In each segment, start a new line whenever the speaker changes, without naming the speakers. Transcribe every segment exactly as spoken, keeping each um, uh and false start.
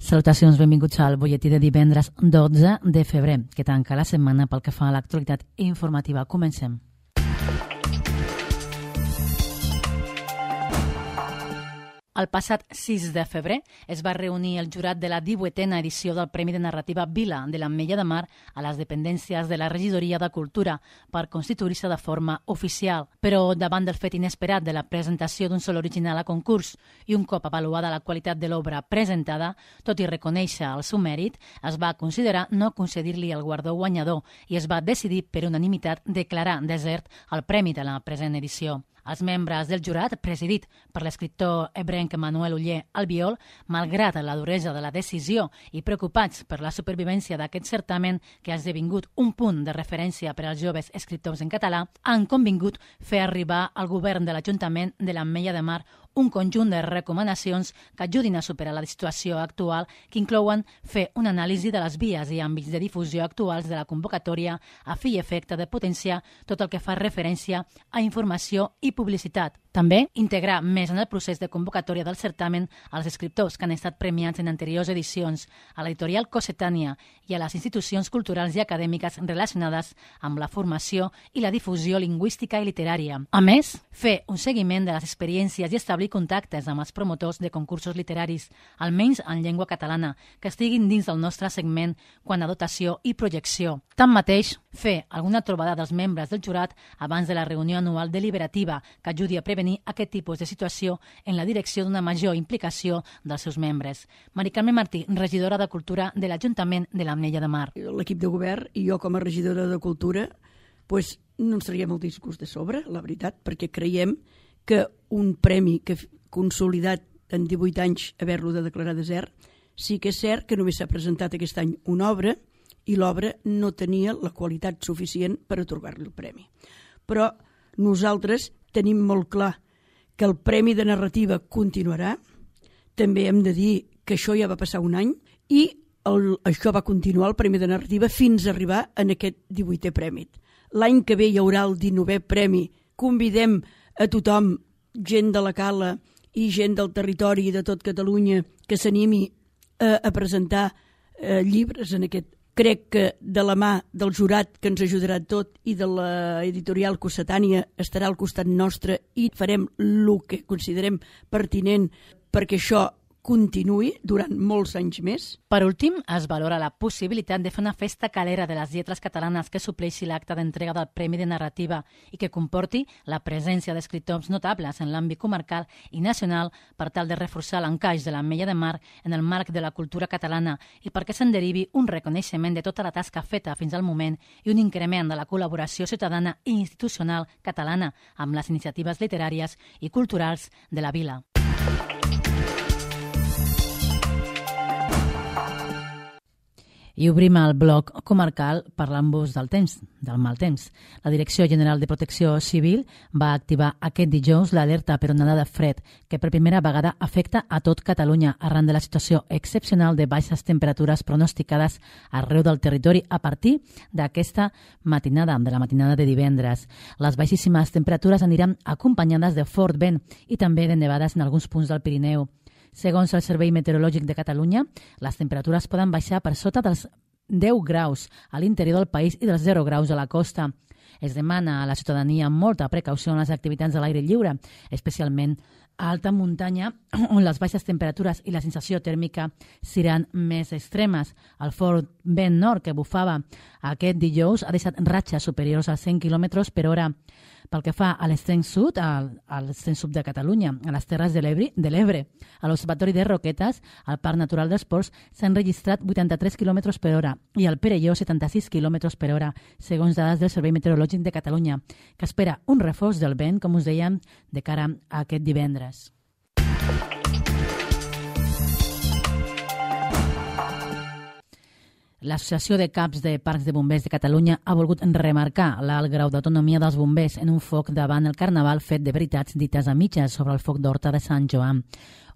Salutacions, benvinguts al butlletí de divendres dotze de febrer, que tanca la setmana pel que fa a l'actualitat informativa. Comencem. El passat sis de febrer es va reunir el jurat de la divuitena edició del Premi de Narrativa Vila de l'Ametlla de Mar a les dependències de la Regidoria de Cultura per constituir-se de forma oficial. Però davant del fet inesperat de la presentació d'un sol original a concurs i un cop avaluada la qualitat de l'obra presentada, tot i reconèixer el seu mèrit, es va considerar no concedir-li el guardó guanyador i es va decidir per unanimitat declarar desert el premi de la present edició. Els membres del jurat, presidit per l'escriptor ebrenc Manuel Oller Albiol, malgrat la duresa de la decisió i preocupats per la supervivència d'aquest certamen que ha esdevingut un punt de referència per als joves escriptors en català, han convingut fer arribar al govern de l'Ajuntament de l'Ametlla de Mar un conjunt de recomanacions que ajudin a superar la situació actual, que inclouen fer una anàlisi de les vies i àmbits de difusió actuals de la convocatòria a fi i efecte de potenciar tot el que fa referència a informació i publicitat. També integrar més en el procés de convocatòria del certamen als escriptors que han estat premiats en anteriors edicions, a l'editorial Cossetània i a les institucions culturals i acadèmiques relacionades amb la formació i la difusió lingüística i literària. A més, fer un seguiment de les experiències i establir contactes amb els promotors de concursos literaris, almenys en llengua catalana, que estiguin dins del nostre segment quant a dotació i projecció. Tanmateix, fer alguna trobada dels membres del jurat abans de la reunió anual deliberativa que ajudi a prevenir aquest tipus de situació en la direcció d'una major implicació dels seus membres. Mari Carme Martí, regidora de Cultura de l'Ajuntament de l'Ametlla de Mar.
L'equip de govern i jo com a regidora de Cultura pues, no ens traiem el discurs de sobre, la veritat, perquè creiem que un premi que consolidat en divuit anys haver-lo de declarar desert, sí que és cert que només s'ha presentat aquest any una obra i l'obra no tenia la qualitat suficient per atorgar-li el premi. Però nosaltres tenim molt clar que el Premi de Narrativa continuarà. També hem de dir que això ja va passar un any i el, això va continuar, el Premi de Narrativa, fins a arribar en aquest divuitè premi. L'any que ve hi haurà el dinovè premi. Convidem a tothom, gent de la Cala i gent del territori i de tot Catalunya, que s'animi a, a presentar eh, llibres en aquest. Crec que de la mà del jurat que ens ajudarà tot i de l'editorial Cossetània estarà al costat nostre i farem el que considerem pertinent perquè això continuï durant molts anys més.
Per últim, es valora la possibilitat de fer una festa calera de les lletres catalanes que supleixi l'acte d'entrega del Premi de Narrativa i que comporti la presència d'escriptors notables en l'àmbit comarcal i nacional per tal de reforçar l'encaix de l'Ametlla de Mar en el marc de la cultura catalana i perquè se'n derivi un reconeixement de tota la tasca feta fins al moment i un increment de la col·laboració ciutadana i institucional catalana amb les iniciatives literàries i culturals de la vila. I obrim el bloc comarcal parlant-vos del temps, del mal temps. La Direcció General de Protecció Civil va activar aquest dijous l'alerta per onada de fred que per primera vegada afecta a tot Catalunya arran de la situació excepcional de baixes temperatures pronosticades arreu del territori a partir d'aquesta matinada, de la matinada de divendres. Les baixíssimes temperatures aniran acompanyades de fort vent i també de nevades en alguns punts del Pirineu. Segons el Servei Meteorològic de Catalunya, les temperatures poden baixar per sota dels deu graus a l'interior del país i dels zero graus a la costa. Es demana a la ciutadania molta precaució en les activitats a l'aire lliure, especialment a alta muntanya, on les baixes temperatures i la sensació tèrmica seran més extremes. El fort vent nord que bufava aquest dijous ha deixat ratxes superiors als cent quilòmetres per hora. Pel que fa a l'extrem sud, al, a l'extrem sud de Catalunya, a les Terres de l'Ebre, a l'Observatori de Roquetes, al Parc Natural dels Ports, s'han registrat vuitanta-tres quilòmetres per hora i al Perelló setanta-sis quilòmetres per hora, segons dades del Servei Meteorològic de Catalunya, que espera un reforç del vent, com us dèiem, de cara a aquest divendres. L'Associació de Caps de Parcs de Bombers de Catalunya ha volgut remarcar l'alt grau d'autonomia dels bombers en un foc davant el Carnaval fet de veritats dites a mitges sobre el foc d'Horta de Sant Joan.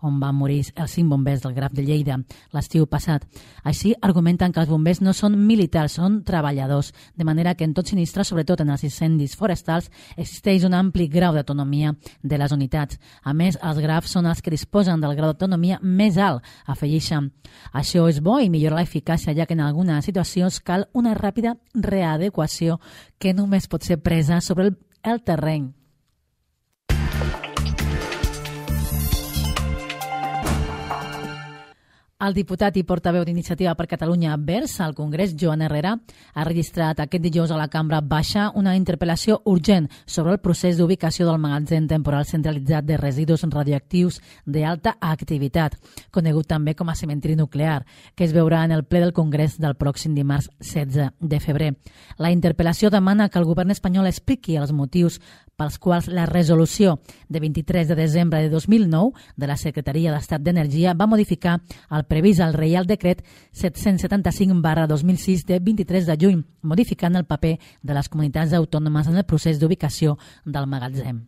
on van morir els cinc bombers del Graf de Lleida l'estiu passat. Així argumenten que els bombers no són militars, són treballadors, de manera que en tot sinistre, sobretot en els incendis forestals, existeix un ampli grau d'autonomia de les unitats. A més, els Grafs són els que disposen del grau d'autonomia més alt, afegeixen. Això és bo i millora l'eficàcia, ja que en algunes situacions cal una ràpida readequació que només pot ser presa sobre el, el terreny. El diputat i portaveu d'Iniciativa per Catalunya Verds al Congrés, Joan Herrera, ha registrat aquest dijous a la Cambra Baixa una interpel·lació urgent sobre el procés d'ubicació del magatzem temporal centralitzat de residus radioactius d'alta activitat, conegut també com a cementiri nuclear, que es veurà en el ple del Congrés del pròxim dimarts setze de febrer. La interpel·lació demana que el govern espanyol expliqui els motius pels quals la resolució de vint-i-tres de desembre de dos mil nou de la Secretaria d'Estat d'Energia va modificar el previst al Reial Decret set-cents setanta-cinc barra dos mil sis de vint-i-tres de juny, modificant el paper de les comunitats autònomes en el procés d'ubicació del magatzem.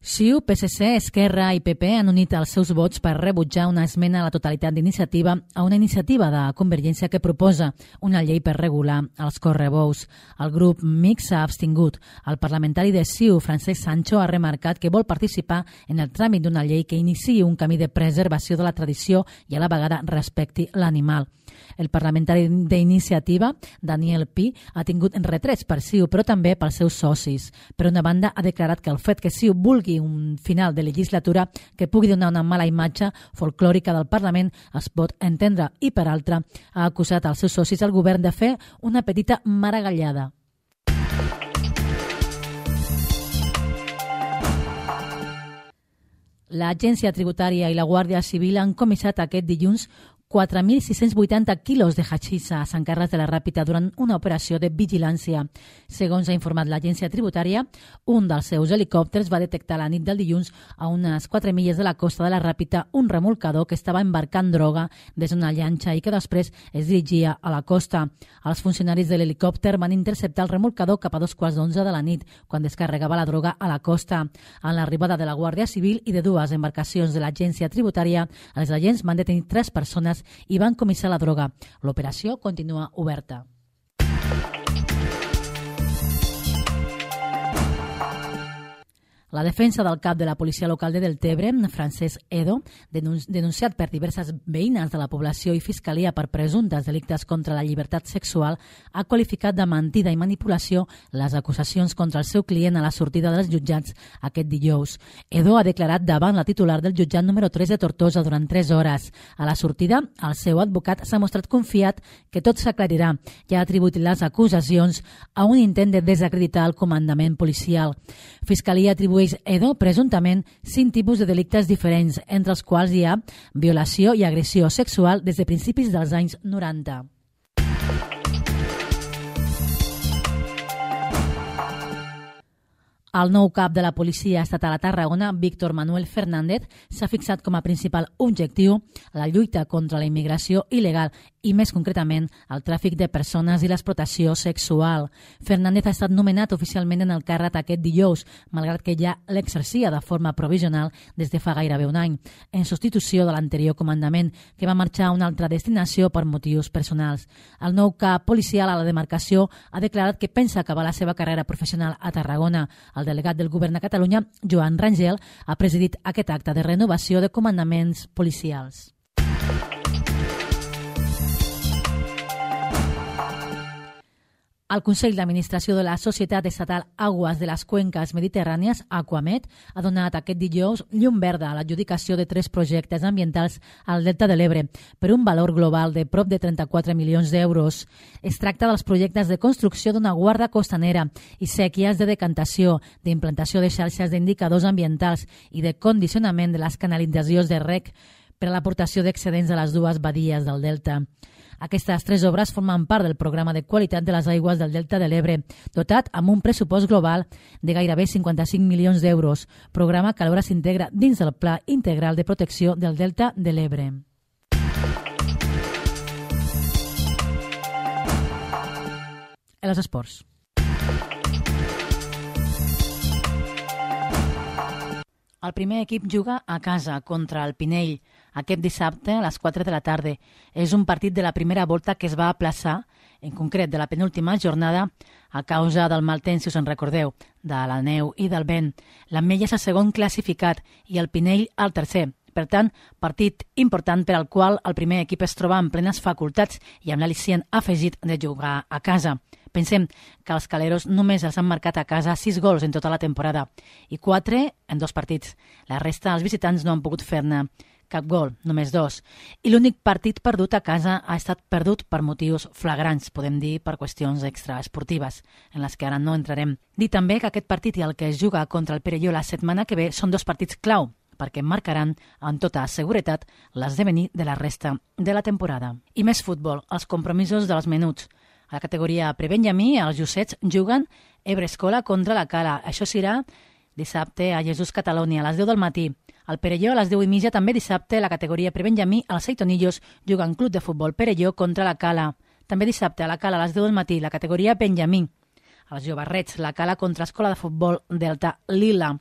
C I U, P S C, Esquerra i P P han unit els seus vots per rebutjar una esmena a la totalitat d'iniciativa a una iniciativa de Convergència que proposa una llei per regular els correbous. El grup Mix s'ha abstingut. El parlamentari de C I U, Francesc Sancho, ha remarcat que vol participar en el tràmit d'una llei que iniciï un camí de preservació de la tradició i a la vegada respecti l'animal. El parlamentari d'Iniciativa, Daniel Pi, ha tingut retrets per C I U, però també pels seus socis. Per una banda, ha declarat que el fet que C I U vulgui un final de legislatura que pugui donar una mala imatge folclòrica del Parlament es pot entendre i, per altra, ha acusat als seus socis al govern de fer una petita maragallada. L'Agència Tributària i la Guàrdia Civil han comissat aquest dilluns quatre mil sis-cents vuitanta quilos de hachís a Sant Carles de la Ràpita durant una operació de vigilància. Segons ha informat l'agència tributària, un dels seus helicòpters va detectar la nit del dilluns a unes quatre milles de la costa de la Ràpita un remolcador que estava embarcant droga des d'una llanxa i que després es dirigia a la costa. Els funcionaris de l'helicòpter van interceptar el remolcador cap a dos quarts d'onze de la nit, quan descarregava la droga a la costa. En l'arribada de la Guàrdia Civil i de dues embarcacions de l'agència tributària, els agents van detenir tres persones i van comissar la droga. L'operació continua oberta. La defensa del cap de la policia local de Deltebre, Francesc Edo, denunciat per diverses veïnes de la població i fiscalia per presumptes delictes contra la llibertat sexual, ha qualificat de mentida i manipulació les acusacions contra el seu client a la sortida dels jutjats aquest dijous. Edo ha declarat davant la titular del jutjat número tres de Tortosa durant tres hores. A la sortida, el seu advocat s'ha mostrat confiat que tot s'aclarirà i ha atribuït les acusacions a un intent de desacreditar el comandament policial. Fiscalia atribueix Edo presumptament cinc tipus de delictes diferents, entre els quals hi ha violació i agressió sexual des de principis dels anys noranta. El nou cap de la policia estatal a Tarragona, Víctor Manuel Fernández, s'ha fixat com a principal objectiu la lluita contra la immigració il·legal i, més concretament, el tràfic de persones i l'explotació sexual. Fernández ha estat nomenat oficialment en el càrrec aquest dijous, malgrat que ja l'exercia de forma provisional des de fa gairebé un any, en substitució de l'anterior comandament, que va marxar a una altra destinació per motius personals. El nou cap policial a la demarcació ha declarat que pensa acabar la seva carrera professional a Tarragona. El delegat del govern a Catalunya, Joan Rangel, ha presidit aquest acte de renovació de comandaments policials. El Consell d'Administració de la Societat Estatal Aguas de les Cuencas Mediterrànies, Aquamed, ha donat aquest dijous llum verda a l'adjudicació de tres projectes ambientals al Delta de l'Ebre per un valor global de prop de trenta-quatre milions d'euros. Es tracta dels projectes de construcció d'una guarda costanera i sèquies de decantació, d'implantació de xarxes d'indicadors ambientals i de condicionament de les canalitzacions de rec per a l'aportació d'excedents a les dues badies del Delta. Aquestes tres obres formen part del programa de qualitat de les aigües del Delta de l'Ebre, dotat amb un pressupost global de gairebé cinquanta-cinc milions d'euros, programa que alhora s'integra dins del Pla Integral de Protecció del Delta de l'Ebre. Els esports. El primer equip juga a casa contra el Pinell aquest dissabte a les quatre de la tarda. És un partit de la primera volta que es va aplaçar, en concret de la penúltima jornada, a causa del mal temps, si us en recordeu, de la neu i del vent. L'Ametlla és el segon classificat i el Pinell el tercer. Per tant, partit important per al qual el primer equip es troba en plenes facultats i amb l'al·licient afegit de jugar a casa. Pensem que els caleros només els han marcat a casa sis gols en tota la temporada i quatre en dos partits. La resta, els visitants no han pogut fer-ne cap gol, només dos. I l'únic partit perdut a casa ha estat perdut per motius flagrants, podem dir per qüestions extraesportives, en les que ara no entrarem. Dir també que aquest partit i el que es juga contra el Perelló la setmana que ve són dos partits clau, perquè marcaran amb tota seguretat l'esdevenir de la resta de la temporada. I més futbol, els compromisos dels menuts. A la categoria prebenjamí, els Jussets juguen Ebre-Escola contra la Cala. Això serà dissabte a Jesús Catalunya, a les deu del matí. Al Perelló, a les deu i mitja, també dissabte, la categoria prebenjamí, els Seitonillos juguen Club de Futbol Perelló contra la Cala. També dissabte, a la Cala, a les deu del matí, la categoria benjamí. Els Jovarrets, la Cala contra Escola de Futbol Delta Lila.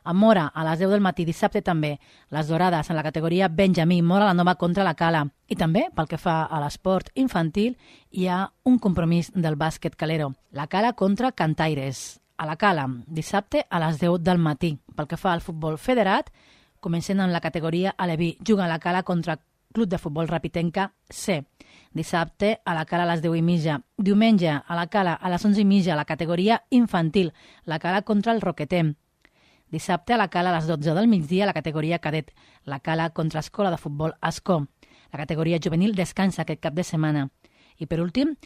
A Mora, a les deu del matí, dissabte també, les Dorades en la categoria benjamí, Mora la Nova contra la Cala. I també, pel que fa a l'esport infantil, hi ha un compromís del bàsquet calero. La Cala contra Cantaires. A la Cala, dissabte a les deu del matí. Pel que fa al futbol federat, comencem amb la categoria aleví. Juga a la Cala contra Club de Futbol Rapitenca C. Dissabte a la Cala a les deu i mitja. Diumenge a la Cala a les onze i mitja, la categoria infantil. La Cala contra el Roquetem. Dissabte a la Cala a les dotze del migdia, la categoria cadet. La Cala contra Escola de Futbol Ascó. La categoria juvenil descansa aquest cap de setmana. I per últim,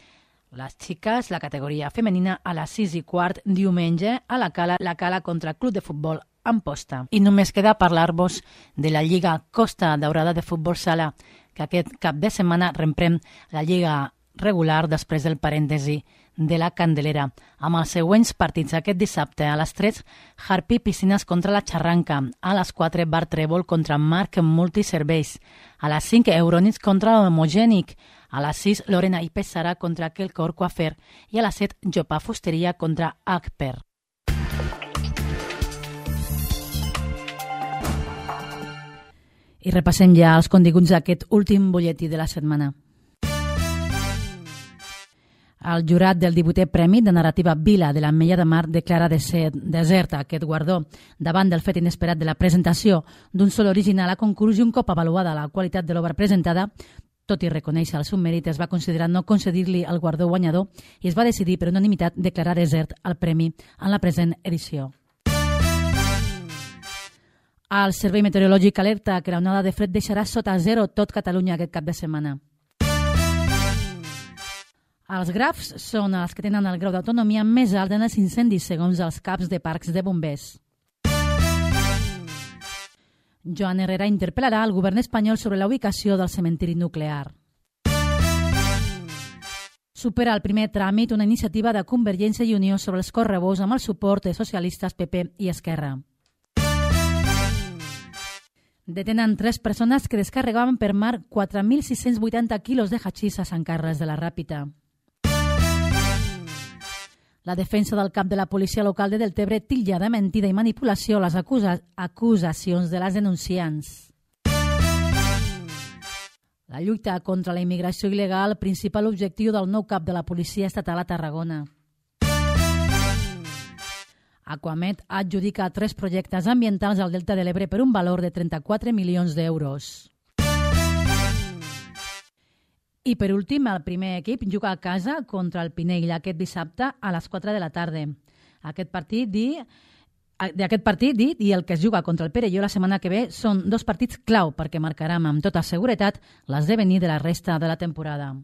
les xiques, la categoria femenina, a les sis i quart diumenge a la Cala, la Cala contra Club de Futbol Amposta. I només queda parlar-vos de la Lliga Costa Daurada de Futbol Sala, que aquest cap de setmana reprèn la Lliga regular després del parèntesi de la Candelera, amb els següents partits aquest dissabte a les tres, Harpy Piscines contra la Xarranca, a les quatre, Bar Trèvol contra Marc Multiserveis, a les cinc, Eurònits contra l'Homogènic, a les sis, Lorena i Pesara contra Quelcor Coafer i a les set, Jopà Fusteria contra Agper. I repassem ja els continguts d'aquest últim butlletí de la setmana. El jurat del divuitè Premi de Narrativa Vila de l'Ametlla de Mar declara de ser deserta aquest guardó davant del fet inesperat de la presentació d'un sol original a concurs i un cop avaluada la qualitat de l'obra presentada, tot i reconèixer el seu mèrit, es va considerar no concedir-li el guardó guanyador i es va decidir per unanimitat declarar desert el premi en la present edició. El Servei Meteorològic alerta que l'onada de fred deixarà sota zero tot Catalunya aquest cap de setmana. Els grafs són els que tenen el grau d'autonomia més alt en els incendis, segons els caps de parcs de bombers. Joan Herrera interpel·larà el govern espanyol sobre la ubicació del cementiri nuclear. Supera el primer tràmit una iniciativa de Convergència i Unió sobre els correbous amb el suport de socialistes, P P i Esquerra. Detenen tres persones que descarregaven per mar quatre mil sis-cents vuitanta quilos de hachís a Sant Carles de la Ràpita. La defensa del cap de la policia local de Deltebre titlla de mentida i manipulació les acusa acusacions de les denunciants. La lluita contra la immigració il·legal, principal objectiu del nou cap de la policia estatal a Tarragona. Aquamed adjudica tres projectes ambientals al Delta de l'Ebre per un valor de trenta-quatre milions d'euros. I per últim, el primer equip juga a casa contra el Pinell aquest dissabte a les quatre de la tarda. Aquest partit, di, d'aquest partit dit i el que es juga contra el Perelló la setmana que ve són dos partits clau perquè marcaran amb tota seguretat l'esdevenir de la resta de la temporada.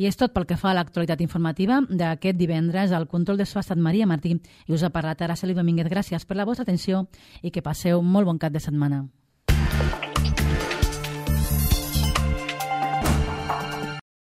I és tot pel que fa a l'actualitat informativa d'aquest divendres. Al control de so ha estat Maria Martí i us ha parlat Araceli Domínguez. Gràcies per la vostra atenció i que passeu molt bon cap de setmana.